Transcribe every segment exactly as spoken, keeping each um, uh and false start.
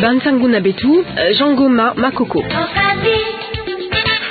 Bansangu na beto, eh, Jean Goma Makoko.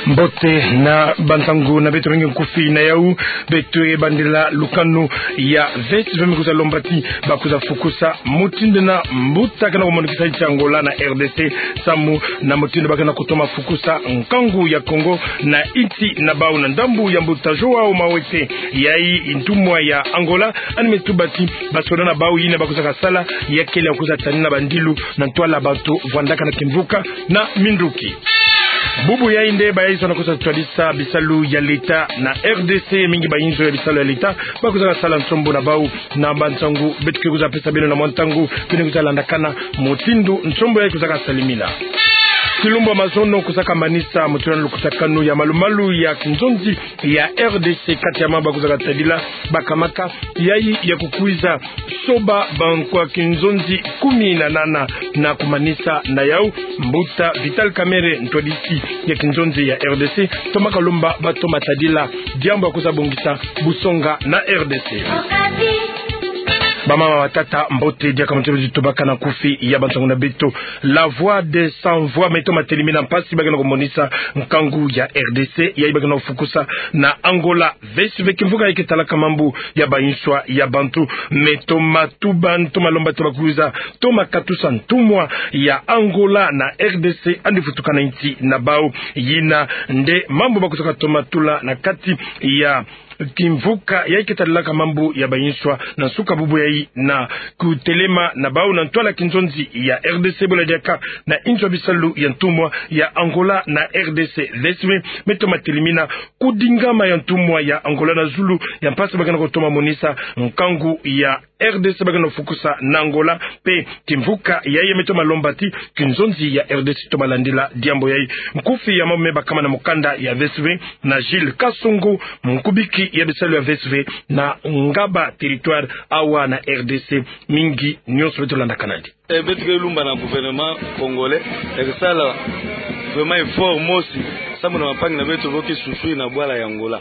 Mbote na bansangu na beto, mingi nkufi na yau. Beto ye bandila lukanu ya VSV me kwiza lomba ti ba kwiza fukusa mutindu na mbuta kena kumonikisa nsi Angola na RDC, samu na mutindu ba kena kutoma fukusa nkangu ya Kongo na nsi na bau. Na ndambu ya mbuta João Mawete, yayi ntumwa ya Angola, yandi me tuba ti basoda na bau yina ba kwizaka sala, ya kele ya kwiza tanina bandilu na ntwala bantu vwandaka na kimvuka na minduki. Bubu yayi nde bayinsoni kwiza twadisa bisalu ya leta na RDC, mingi bayinzo ya bisalu ya leta ba kwizaka sala nsombo na bau. Na bansangu beto ke kwiza pesa beno na mwa ntangu, beno kwiza landakana mutindu nsombo yayi kwizaka salimina. Kilumbu ya mazono kwizaka manisa mutindu na lukutakanu ya malumalu ya kinzonzi ya RDC, kati ya mambu ba kwizaka tadila, baka maka yayi ya kukwiza soba bankwa kinzonzi kumi na nana na kumanisa na yau. Mbuta Vital Kamerhe, ntwadisi ya kinzonzi ya RDC, tomaka lomba ba toma tadila diambu ya kwiza bongisa busonga na RDC. Bamama, batata, mbote, diaka mutindu zi tubaka na nkufi ya bansangu na beto. La Voix des Sans Voix me toma telimina mpasi ba kena kumonisa nkangu ya RDC, yayi ba kena kufukusa na Angola. VSV, kimvuka yayi ke talaka mambu ya bayinswa ya bantu, me toma tuba, toma lomba ti ba kwiza toma katusa ntumwa ya Angola na RDC, yandi vutuka na nsi na bau. Yina nde mambu ba kwizaka toma tula na kati ya kimvuka yayi ke tadilaka mambu ya bayinswa na nsuka bubu yayi na kutelema na bau na ntwala kinzonzi ya RDC, bwela diaka na nzo ya bisalu ya ntumwa ya Angola na RDC. VSV me toma telimina kudingama ya ntumwa ya Angola na zulu ya mpasi ba kena kutoma monisa nkangu ya RDC ba kena kufukusa na Angola, mpe kimvuka yayi me toma lomba ti kinzonzi ya RDC toma landila diambu yayi. Nkufi ya mambu me bakama na mukanda ya VSV na Gilles Kasongo, nkubiki ya bisalu ya VSV na Ngaba territoire awa na RDC. Mingi nyonso beto landaka nandi. E, beto ke lumba na gouvernement congolais ya ke sala vraiment effort mosi, samu na bampangi na beto bo ke souffrir na bwala ya Angola.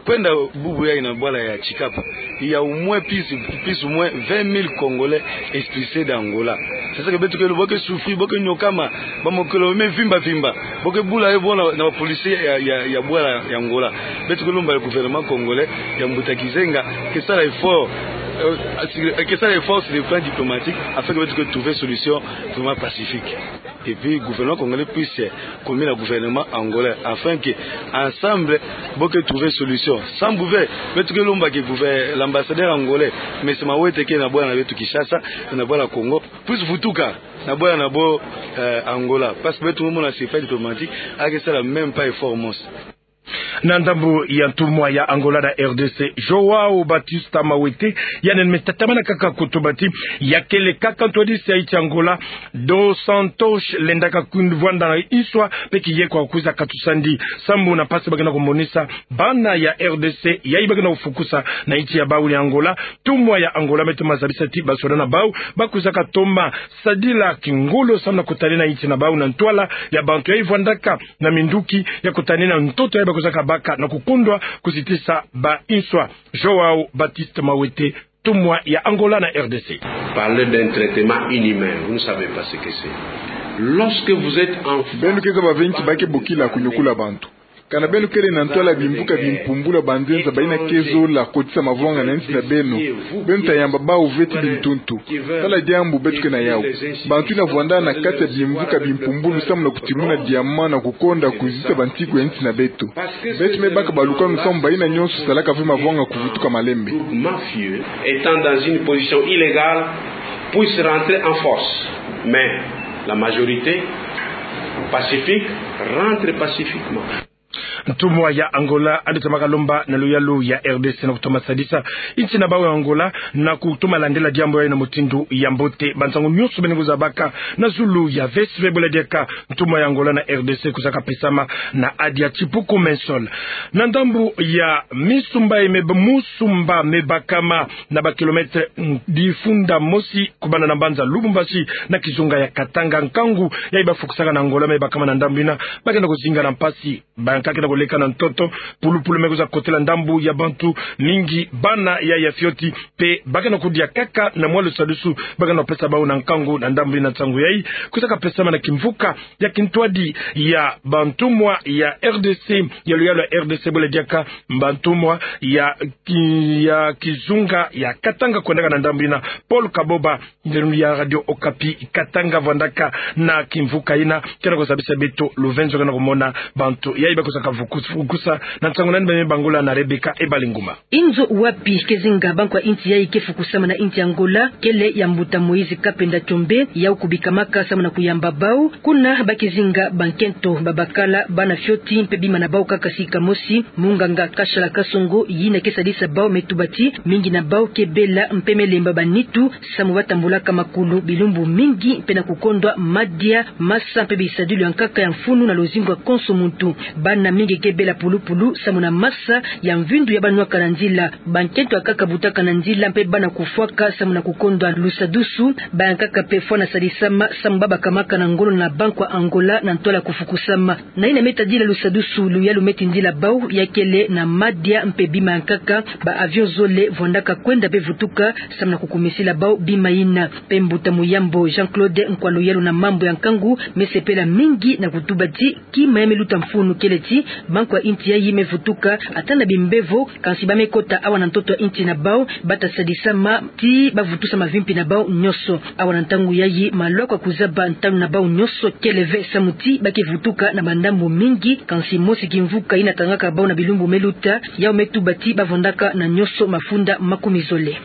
Kwenda bubu yayi na bwala ya Tchicapa, il y a au moins plus, plus ou moins vingt mille Congolais expulsés d'Angola. C'est ça que beto ke lumba, bo ke souffrir, bo ke nyokama, bamokolo me vimba vimba, bo ke bula ye bo na, na ba policiers ya, ya, ya bwala ya Angola. Beto ke lumba le gouvernement congolais ya mbuta kizenga ke sala effort, euh, sur, ke sala effort sur le plan diplomatique, afin que beto ke trouver solution vraiment pacifique. Et puis, gouvernement congolais puisse communier na gouvernement angolais, afin que, ensemble, bo ke trouver solution. Sambu ve, beto ke lumba que gouver-, l'ambassadeur angolais, Monsieur Mawete, ke na bwala na beto Kinshasa, na bwala Congo, puisse vutuka na bwala na bo, euh, Angola. Parce que beto mona sur le plan diplomatique, a ke sala même pas effort mosi. Na ndambu ya ntumwa ya Angola na RDC, João Baptista Mawete, yandi me tatamana kaka kutuba ti ya kele kaka ntwadisi ya nsi Angola, Dos Santos, lendaka kwenda vwanda na nswa, mpe kiye kwa kwiza katusa ndi, samu na mpasi ba kena kumonisa bana ya RDC, yayi ba kena kufukusa na nsi ya bau ya Angola. Ntumwa ya Angola me toma zabisa ti basoda na bau ba kwizaka toma sadila kingolo samu na kutanina nsi na bau na ntwala ya bantu yayi vwandaka na minduki, ya kutanina ntoto yayi ba kwizaka baka na kukundwa kuzitisa banswa. João Baptista Mawete, ntumwa ya Angola na RDC. Parler d'un traitement inhumain, vous ne savez pas ce que c'est. Lorsque vous êtes enfant, beno ke zaba ve nki ba ke bokila kunyokula bantu. Kana beno kele na ntwala bimvuka bimpumbulu ya banzenza bayina ke zola kotisa mavwanga na nsi na beno, beno ta yamba bau ve ti bintuntu. Tala diambu beto ke na yau. Bantu yina vwanda na kati ya bimvuka bimpumbulu samu na kutimuna diamant na kukonda kuzitisa bantiku ya nsi na beto. Beto me baka balukanu samu bayina nyonso salaka ve mavwanga kuvutuka malembe. Mafieux, étant dans une position illégale, puisse rentrer en force. Mais la majorité pacifique rentre pacifiquement. Ntumwa ya Angola yandi tomaka lomba na luyalu ya RDC na kutoma sadisa nsi na bau ya Angola na kutoma landila diambu yayi na mutindu ya mbote. Bansangu nyonso beno ke zabaka na zulu ya VSV, bwela diaka ntumwa ya Angola na RDC kwizaka pesama na adia Tipuku Mensol. Na ndambu ya misumba ye me ba-, musumba me bakama na ba kilomètre, mm, difunda mosi kubanda na mbanza Lubumbashi na kizunga ya Katanga, nkangu yayi ba fukusaka na Angola me bakama na ndambu yina ba kenda kuzinga na mpasi, bankaka kenda koleka na ntoto, pulupulu me kwiza kotela ndambu ya bantu mingi, bana ya ya fioti, mpe ba ke na kudia kaka na mwa lusadusu ba ke na pesa bau na nkangu. Na ndambu ina nsangu yayi kwizaka pesama na kimvuka ya kintwadi ya bantumwa ya R D C, ya luyalu ya R D C, bwela diaka bantumwa ya ki-, ya kizunga ya Katanga kwendaka na ndambu ina. Paul Kaboba, ndelo ya Radio Okapi Katanga, vwandaka na kimvuka ina, ke na kuzabisa beto luvenzo ke na kumona bantu yayi ba kwizaka vuku-, vukusa. Na nsangu nani ba me bangula na Rebecca Ebalinguma. Inzo wapi ke zinga bankwa inti yayi ke fukusama na inti Angola, kele ya mbuta Moïse Kapenda Tshombe, yau kubikamaka samu na kuyamba bau. Kuna ba ke zinga bankento, babakala, bana fioti, mpe bima na bau kaka sika mosi, munganga Kashala Kasongo, yina ke sadisa bau me tuba ti mingi na bau ke bela mpe me lemba banitu, samu ba tambulaka makulu bilumbu mingi, mpe na kukondwa madia, masa, mpe bisadilu ya nkaka ya mfunu na luzingu ya konso muntu. Bana mingi ke bela pulupulu samu na masa ya mvindu ya ba nwaka na nzila. Bankento ya nkaka butaka na nzila mpe bana kufwaka samu na kukondwa lusadusu. Bayankaka mpe fwa na sadisama samu ba bakamaka na ngolo na bankwa Angola na ntwala kufukusama. Na yina me tadila lusadusu, luyalu me tindila bau ya kele na madia mpe bima ya nkaka, ba avion zole vwandaka kwenda mpe vutuka samu na kukumisila bau bima yina. Mpe mbuta Muyambo Jean-Claude, nkwa luyalu na mambu ya nkangu, me sepela mingi na kutuba ti kima ya me luta mfunu kele ti bankwa inti yayi me vutuka ata na bimbevo, kansi ba me kota awa na ntoto ya inti na bau, ba ta sadisama ti ba vutusa mavimpi na bau nyonso. Awa na ntangu yayi, maloko ya kuzaba ntalu na bau nyonso kele ve, samu ti ba ke vutuka na bandambu mingi, kansi mosi kimvuka yina tangaka bau na bilumbu me luta, yau me tuba ti ba vwandaka na nyonso mafunda makumi zole.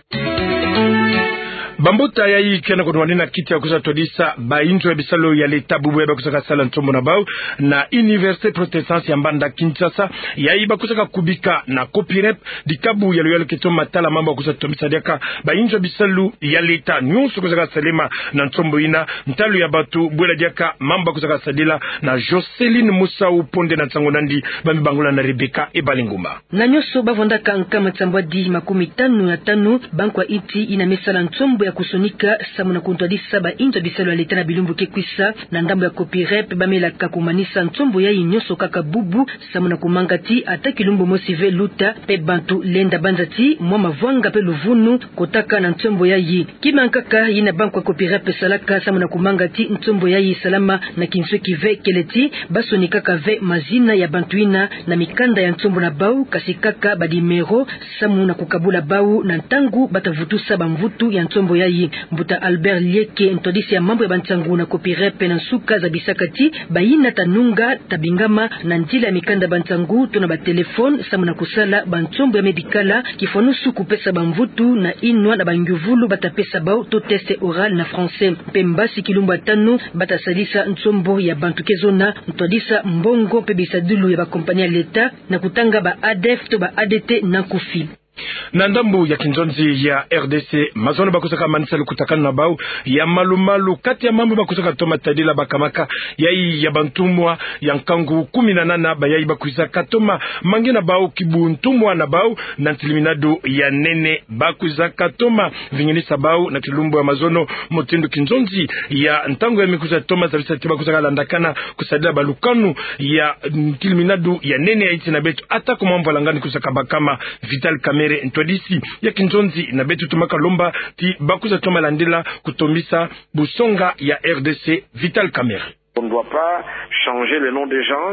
Bambuta yayi ke na kunwanina kiti ya kwiza twadisa bainzo ya bisalu ya leta bubu ya ba kwizaka sala nsombo na bau na Université Protestante ya Mbanda Kinshasa, yayi ba kwizaka kubika na COPIREP, dikabu ya luyalu ke toma tala mambu ya kwiza tomisa diaka bainzo ya bisalu ya leta nyonso kwizaka salema na nsombo yina, ntalu ya bantu, bwela diaka mambu ya kwizaka sadila. Na Joceline Musau Ponde na nsangu nandi, ba me bangula na Rebecca Ebalinguma. Na nyonso ba vwandaka nkama nsambwadi makumi tanu na tanu bankwa inti yina me sala nsombo ya kusonika samu na kuntwadisa bainzo ya bisalu ya leta na bilumbu ke kwisa. Na ndambu ya COPIREP, ba me laka kumanisa nsombo yayi nyonso kaka bubu samu na kumanga ti ata kilumbu mosi ve luta, mpe bantu lenda banza ti mwa mavwanga mpe luvunu kotaka na nsombo yayi. Kima ya nkaka yina bankwa COPIREP salaka samu na kumanga ti nsombo yayi salama na kinsweki ve kele ti ba sonikaka ve mazina ya bantu yina na mikanda ya nsombo na bau, kasi kaka banimero, samu na kukabula bau na ntangu ba ta vutusa bamvutu ya nsombo yayi. Mbuta Albert Lieke, ntwadisi ya mambu ya bansangu na COPIREP, na nsuka zabisaka ti bayina ta nunga ta bingama na nzila ya mikanda ya bansangu to na batelefone samu na kusala bansombo ya me bikala, kifwanusu kupesa bamvutu na inwa na bangyuvulu ba ta pesa bau to test oral na français. Mpe mbasi kilumbu ya tanu ba ta sadisa nsombo ya bantu ke zona, ntwadisa mbongo mpe bisadilu ya bakompani ya leta, na kutanga ba A D F to ba A D T na nkufi. Na ndambu ya kinzonzi ya R D C, mazono ba kwizaka manisa lukutakanu na bau ya malu-malu. Kati ya mambu ba kwizaka toma tadila, bakamaka yayi ya bantumwa ya nkangu kumi na nana, bayayi ba kwizaka toma mange na bau kibuntumwa na bau na ntiliminadu ya nene. Ba kwizaka toma vinginisa bau na kilumbu ya mazono, mutindu kinzonzi ya ntangu ya me kwiza toma zabisa ti ba kwizaka landakana kusadila balukanu ya ntiliminadu ya nene ya insi na beto, ata ko mwa mvwalangani kwizaka bakama. Vital Kamerhe, ntwadisi ya kinzonzi na beto, tomaka lomba ti ba kwiza toma landila kutomisa busonga ya R D C. Vital Kamerhe. On ne doit pas changer les noms des gens,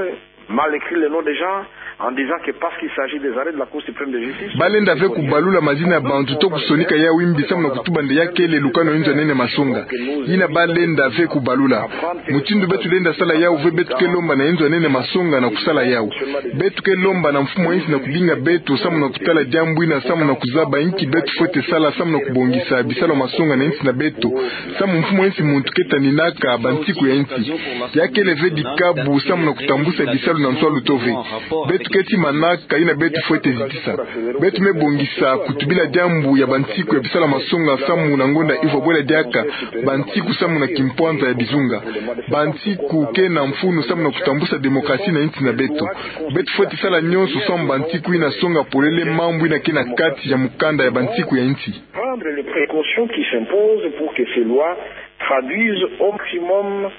mal écrire les noms des gens, en disant que parce qu'il s'agit des arrêts de la Cour suprême de justice. Ba lenda ve kubalula mazina ya bantu to kusonika yawu imbi samu na kutuba nde ya kele lukanu ya inzo ya nene masonga. Yina ba lenda ve kubalula. Mutindu beto lenda sala yawu ve, beto ke lomba na inzo ya nene masonga na kusala yawu. Beto ke lomba na mfumu ya insi na kubinga beto samu na kutala diambu yina, samu na kuzaba inki beto fwete sala samu na kubongisa bisalu ya masonga na insi na beto. Samu mfumu ya insi muntu ke taninaka bansiku ya insi. Ya kele ve dikabu samu na kutambusa bisalu na nswalu to ve. Beto ke tii manaka yina beto fwete zitisa. Beto me bongisa kutubila diambu ya bansiku ya bisalu ya masonga samu na ngonda ivwa bwela diaka bansiku samu na kimpwanza ya bizunga. Bansiku ke na mfunu samu na kutambusa démocratie na insi na beto. Beto fwete sala nyonso samu bansiku yina songa polele mambu yina ke na kati ya mukanda ya bansiku ya insi. Prendre les précautions qui s'imposent pour que ces lois traduisent au maximum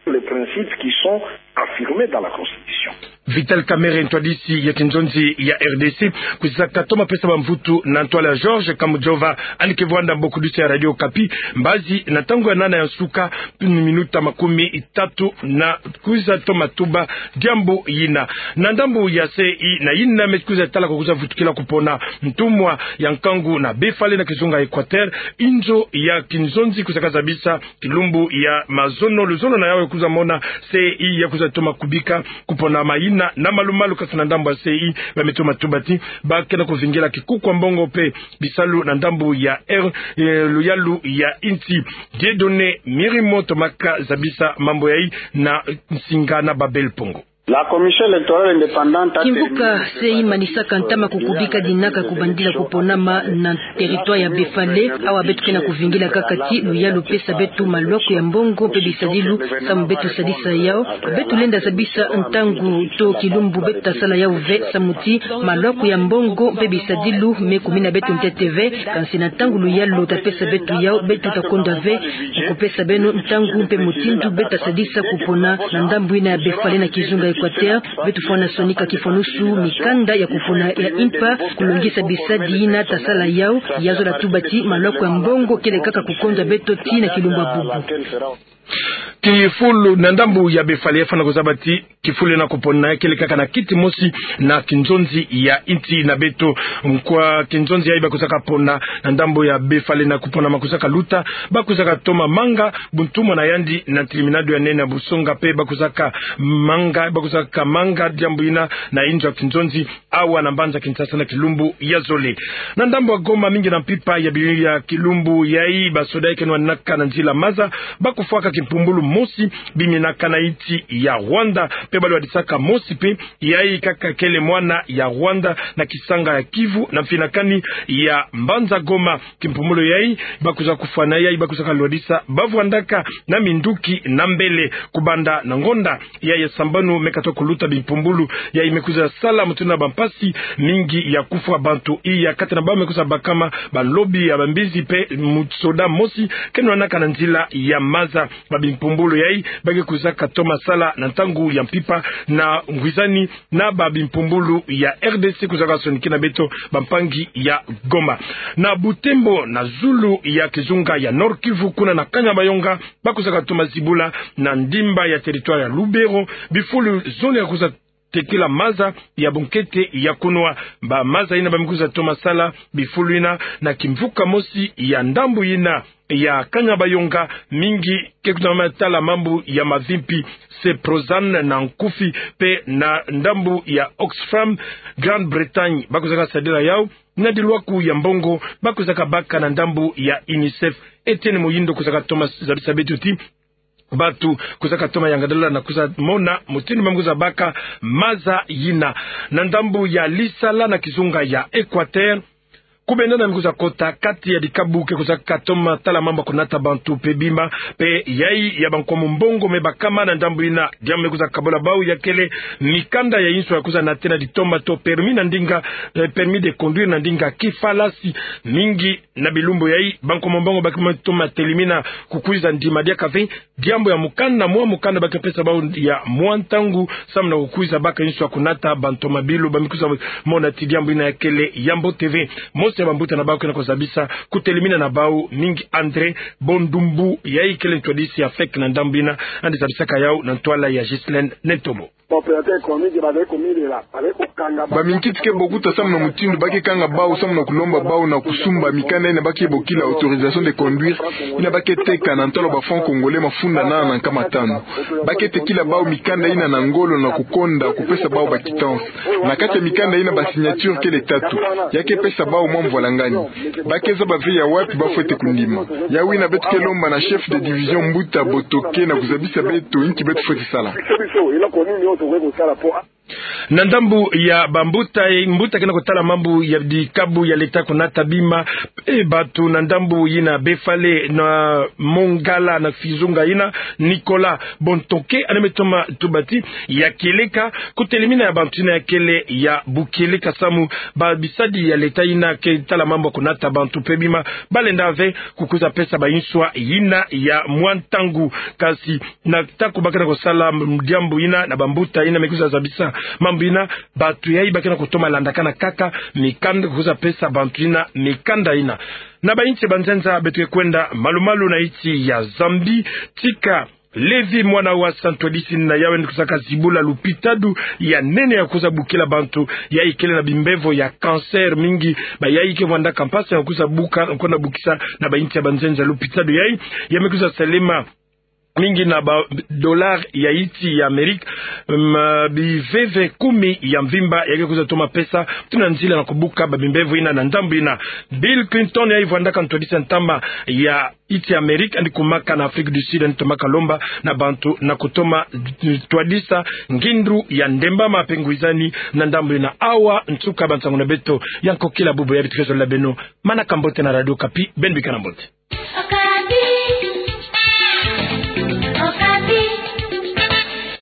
les principes qui sont affirmés dans la Constitution. Vital Kamerhe, ntwadisi ya kinzonzi ya R D C, kwiza katoma pesa bamvutu na ntwala ya Georges Kamujova, yandi ke vwanda mbokudisi ya Radio Okapi, mbazi na ntangu ya nana ya nsuka, minuta makumi tatu, na kwiza toma tuba diambu yina. Na ndambu ya C E I, na yina me kwiza tala ko kwiza vutukila kupona ntumwa ya nkangu na Befale na kizunga Equateur, inzo ya kinzonzi kwiza kazabisa kilumbu ya mazono, luzolo na yawu ya kwiza mona C E I ya kwiza toma kubika kupona mayina na malu-malu. Kasi na ndambu ya C E I, ba me toma tuba ti ba ke na kuvingila kikuku ya mbongo mpe bisalu na ndambu ya R, eh, luyalu ya insi. Dieudonné Mirimo tomaka zabisa mambu yayi na nsinga na Babel Pongo. La Commission électorale indépendante a... Kimvuka C E I manisaka ntama ko kubika dinaka kubandila kuponama na territoire ya Befale. Awa beto ke na kuvingila kaka ti luyalu pesa beto malwaku ya mbongo mpe bisadilu, samu beto sadisa yawu. Beto lenda zabisa ntangu to kilumbu beto ta sala yawu ve, samu ti malwaku ya mbongo mpe bisadilu me kumina beto ntete ve. Kansi na ntangu luyalu ta pesa beto yawu, beto ta konda ve kupesa beno ntangu mpe mutindu beto ta sadisa kupona na ndambu yina ya Befale na kizunga Equateur. Beto fwana sonika kifwanusu mikanda ya kupona ya impa, kulongisa bisadi yina ta sala yawu. Ya zola tuba ti malwaku ya mbongo kele kaka kukonda beto tii na kilumbu ya bubu. Kifulu na ndambu ya Befale ya fwana kuzaba ti kifulu yina kupona ya kele kaka na kiti mosi na kinzonzi ya insi na beto. Nkwa kinzonzi yayi ba kwizaka pona na ndambu ya Befale na kupona ma kwizaka luta, ba kwizaka toma manga buntumwa na yandi na ntilimina ndo ya nene ya busonga, mpe ba kwizaka manga, ba kwizaka manga diambu yina na inzo ya kinzonzi awa na mbanza Kinshasa na kilumbu ya zole. Na ndambu ya Goma, mingi na mpimpa ya bi-, ya kilumbu yayi, basoda ya ke nwanaka na nzila maza ba kufwaka kimpumbulu mosi biminaka na insi ya Rwanda, mpe ba lwadisaka mosi mpe yayi kaka kele mwana ya Rwanda na kisanga ya Kivu na mfinakani ya mbanza Goma. Kimpumbulu yayi ba kwiza kufwa na yayi ba kwiza kalwadisa bavwandaka na minduki na mbele. Kubanda na ngonda yayi ya sambanu me katuka kuluta bimpumbulu yayi me kwiza sala mutindu na bampasi mingi ya kufwa bantu. Iya kati na bawu me kwiza bakama balobi ya bambizi mpe musoda mosi ke nwanaka na nzila ya maza. Ba bimpumbulu yayi ba ke kwiza katoma sala na ntangu ya mpimpa na ngwizani na ba bimpumbulu ya R D C kwiza kasonikina beto bampangi ya Goma. Na Butembo, na zulu ya kizunga ya Nord-Kivu, kuna na Kanyabayonga, ba kwiza katoma zibula na ndimba ya territoire ya Lubero bifulu zole ya kwiza tekila maza ya bunkete ya kunwa. Ba maza yina ba me kwiza toma sala bifulu yina na kimvuka mosi ya ndambu yina ya Kanyabayonga, mingi ke kwiza mama tala mambu ya mavimpi, Seprozan na Nkufi, mpe na ndambu ya Oxfam, Grande-Bretagne, ba kwiza kasadila yawu na dilwaku ya mbongo ba kwiza kabaka na ndambu ya UNICEF. Etienne Muhindo kwiza katoma zabisa beto ti bantu kwiza katoma yangadala na kwiza mona mutindu ba me kwiza baka maza yina. Na ndambu ya Lisala na kizunga ya Equateur, kubendana me kwiza kota kati ya dikabu ke kwiza katoma tala mambu ya kunata bantu mpe bima, mpe yayi ya bankwa mumbongo me bakama na ndambu yina. Diambu me kwiza kabula bawu ya kele mikanda ya inso ya kwiza nata na ditoma to permis na ndinga, eh, permis de conduire na ndinga kifalasi. Mingi na bilumbu yayi bankwa mumbongo ba ke me toma telimina kukwiza ndima diaka ve. Diambu ya mukanda, mwa mukanda ba ke pesa bawu ya mwa ntangu samu na kukwiza baka inso ya kunata bantomabilu. Ba me kwiza mona ti diambu yina ya kele ya mbote ve. Mosi ya bambuta na bawu ke na kuzabisa kutelimina na bawu, mingi André Bondumbu, yayi kele ntwadisi ya fek na ndambu yina, yandi zabisaka yawu na ntwala ya Ghislaine Nentomo. Baminkiti ke bokuta samu na mutindu ba ke kanga bawu samu na kulomba bawu na kusumba mikanda yina ba ke bokila autorisation de conduire, yina ba ke teka na ntwala ba francs congolais mafunda nana na nkama tanu. Ba ke tekila bawu mikanda yina na ngolo na kukonda kupesa bawu ba quittance. Na kati ya mikanda yina ba signature kele tatu. Ya ke pesa bawu mwa mvwalangani. Ba ke zaba ve ya wapi ba fwete kundima. Yawu yina beto ke lomba na chef de division mbuta Botoke na kuzabisa beto inki beto fwete sala. Na ndambu ya bambuta, mbuta ke na kutala mambu ya dikabu ya leta kunata bima, e, bantu na ndambu yina Befale na Mongala na kizunga yina, Nicolas Bontoke, yandi me toma tuba ti ya kieleka kutelimina ya bantu yina ya kele ya bukieleka samu ba bisadi ya leta yina ke tala mambu ya kunata bantu mpe bima ba lenda ve kukwiza pesa ba inswa yina ya mwa ntangu. Kasi na ntangu ba ke na kusala diambu yina na bambuta yina me kwiza zabisa Mambu ina, bantu yayi ba ke na kutoma landakana kaka mikanda, kwiza pesa bantu ina mikanda ina. Na bainsi ya banzenza beto ke kwenda malu-malu na insi ya Zambie, tika Lévi mwana wasa ntwadisi na yawu yandi kwiza kazibula lupitadu ya nene ya kwiza bukila bantu yayi kele na bimbevo ya cancer mingi. Bayayi ke vwandaka mpasi ya kwiza buka, kwenda bukisa na bainsi ya banzenza lupitadu yayi, ya me kwiza salema mingi na ba dollar ya insi ya Amérique, mm, biveve kumi ya mvimba ya ke kwiza toma pesa, tuna nzila na kubuka ba bimbevo ina na ndambu ina. Bill Clinton yayi vwandaka ntwadisi ya ntama ya insi ya Amérique, yandi kumaka na Afrique du Sud, yandi tomaka lomba na bantu na kutoma ntwadisa ngindu ya ndemba ma pe ngwizani na ndambu ina. Awa nsuka ba nsangu na beto ya nkokila bubu ya beto ke zolela beno. Manaka mbote na Radio Okapi, beno bikana mbote.